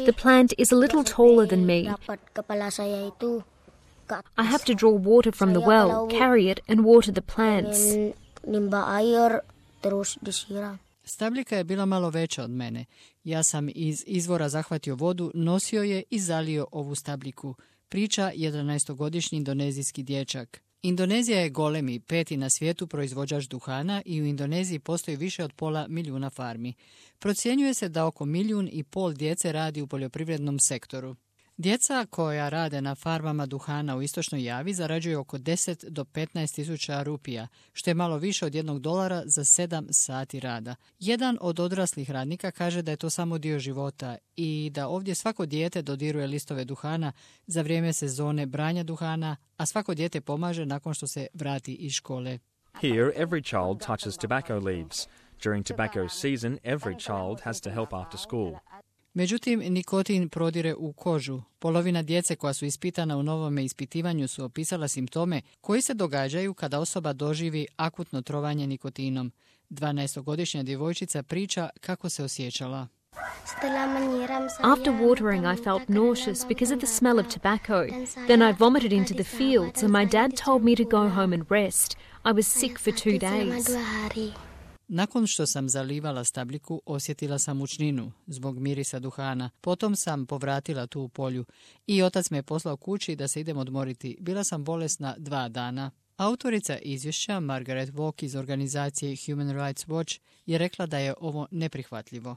The plant is a little taller than me. I have to draw water from the well, carry it and water the plants. Stabljika je bila malo veća od mene. Ja sam iz izvora zahvatio vodu, nosio je i zalio ovu stabljiku. Priča 11-godišnji indonezijski dječak. Indonezija je golemi, 5. na svijetu proizvođač duhana i u Indoneziji postoji više od 500.000 farmi. Procjenjuje se da oko 1,5 milijuna djece radi u poljoprivrednom sektoru. Djeca koja rade na farmama duhana u istočnoj Javi zarađuju oko 10 do 15 tisuća rupija, što je malo više od $1 za 7 sati rada. Jedan od odraslih radnika kaže da je to samo dio života i da ovdje svako dijete dodiruje listove duhana za vrijeme sezone branja duhana, a svako dijete pomaže nakon što se vrati iz škole. Here, every child touches tobacco leaves. During tobacco season, every child has to help after school. Međutim, nikotin prodire u kožu. Polovina djece koja su ispitana u novome ispitivanju su opisala simptome koji se događaju kada osoba doživi akutno trovanje nikotinom. 12-godišnja djevojčica priča kako se osjećala. After watering, I felt nauseous because of the smell of tobacco. Then I vomited into the fields and my dad told me to go home and rest. I was sick for 2 days. Nakon što sam zalivala stabljiku, osjetila sam mučninu zbog mirisa duhana. Potom sam povratila tu u polju i otac me je poslao kući da se idem odmoriti. Bila sam bolesna 2 dana. Autorica izvješća, Margaret Walk iz organizacije Human Rights Watch, je rekla da je ovo neprihvatljivo.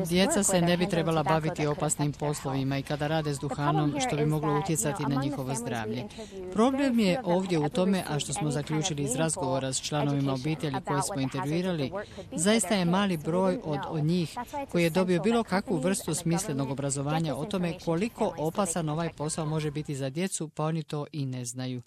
Djeca se ne bi trebala baviti opasnim poslovima i kada rade s duhanom, što bi moglo utjecati na njihovo zdravlje. Problem je ovdje u tome, a što smo zaključili iz razgovora s članovima obitelji koje smo intervjuirali, zaista je mali broj od njih koji je dobio bilo kakvu vrstu smislenog obrazovanja o tome koliko opasan ovaj posao može biti za djecu, pa oni to i ne znaju.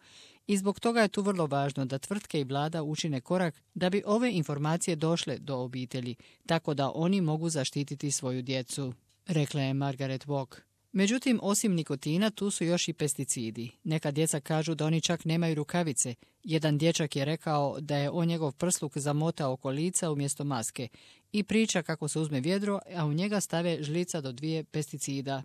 I zbog toga je tu vrlo važno da tvrtke i vlada učine korak da bi ove informacije došle do obitelji, tako da oni mogu zaštititi svoju djecu, rekla je Margaret Walk. Međutim, osim nikotina, tu su još i pesticidi. Neka djeca kažu da oni čak nemaju rukavice. Jedan dječak je rekao da je on njegov prsluk zamotao oko lica umjesto maske i priča kako se uzme vjedro, a u njega stave žlica do 2 pesticida.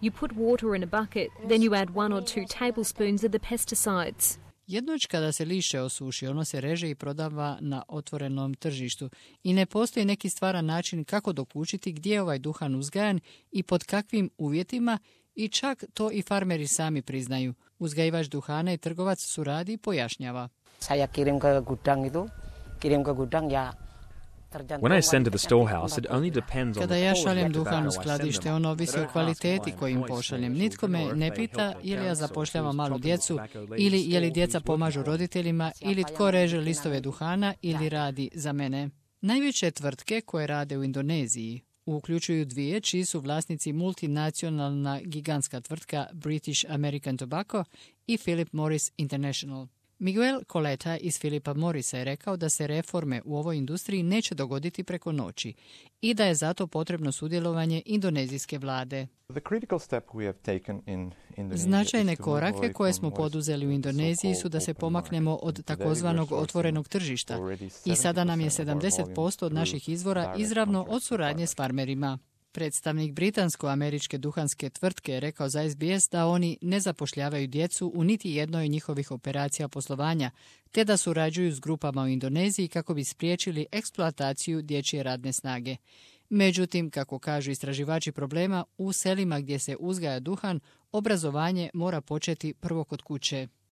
You put water in a bucket, then you add 1 or 2 tablespoons of the pesticides. Jednoć kada se lišće osuši, ono se reže i prodava na otvorenom tržištu i ne postoji neki stvaran način kako dokučiti gdje je ovaj duhan uzgajan i pod kakvim uvjetima i čak to i farmeri sami priznaju. Uzgajivač duhana i trgovac suradi i pojašnjava. When I send to the storehouse, it only depends on Kada the ja quality šaljem of duhan u tobacco I send skladište, them. on ovisi o kvaliteti kojim pošaljem. Nitko me ne pita je li ja zapošljavam malu djecu ili je li djeca pomažu roditeljima ili tko reže listove duhana ili radi za mene. Najveće tvrtke koje rade u Indoneziji uključuju 2 čiji su vlasnici multinacionalna gigantska tvrtka British American Tobacco i Philip Morris International. Miguel Coleta iz Philipa Morrisa je rekao da se reforme u ovoj industriji neće dogoditi preko noći i da je zato potrebno sudjelovanje indonezijske vlade. Značajne korake koje smo poduzeli u Indoneziji su da se pomaknemo od takozvanog otvorenog tržišta i sada nam je 70% od naših izvora izravno od suradnje s farmerima. Predstavnik britansko-američke duhanske tvrtke je rekao za SBS da oni ne zapošljavaju djecu u niti jednoj njihovih operacija poslovanja, te da surađuju s grupama u Indoneziji kako bi spriječili eksploataciju dječje radne snage. Međutim, kako kažu istraživači problema, u selima gdje se uzgaja duhan, obrazovanje mora početi prvo kod kuće.